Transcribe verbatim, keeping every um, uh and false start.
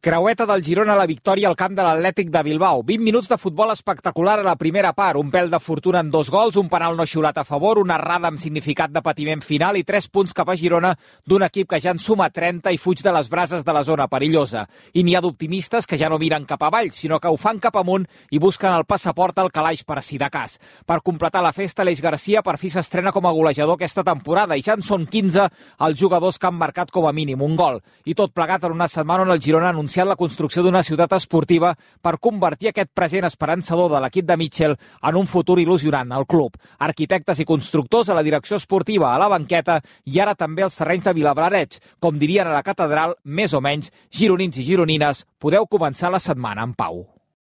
Creueta del Girona a la victòria al camp de l'Atlètic de Bilbao. vint minuts de futbol espectacular a la primera part. Un pèl de fortuna en dos gols, un penal no xiulat a favor, una errada amb significat de patiment final i tres punts cap a Girona d'un equip que ja en suma trenta i fuig de les brases de la zona perillosa. I n'hi ha d'optimistes que ja no miren cap avall, sinó que ho fan cap amunt i busquen el passaport al calaix per si de cas. Per completar la festa, Aleix Garcia per fi s'estrena com a golejador aquesta temporada i ja en són quinze els jugadors que han marcat com a mínim un gol. I tot plegat en una setmana on el Girona ha anunciat la construcció d'una ciutat esportiva per convertir aquest present esperançador de l'equip de Mitchell en un futur il·lusionant al club. Arquitectes i constructors a la direcció esportiva, a la banqueta i ara també als terrenys de Vilablareix. Com dirien a la catedral, més o menys, gironins i gironines, podeu començar la setmana en pau.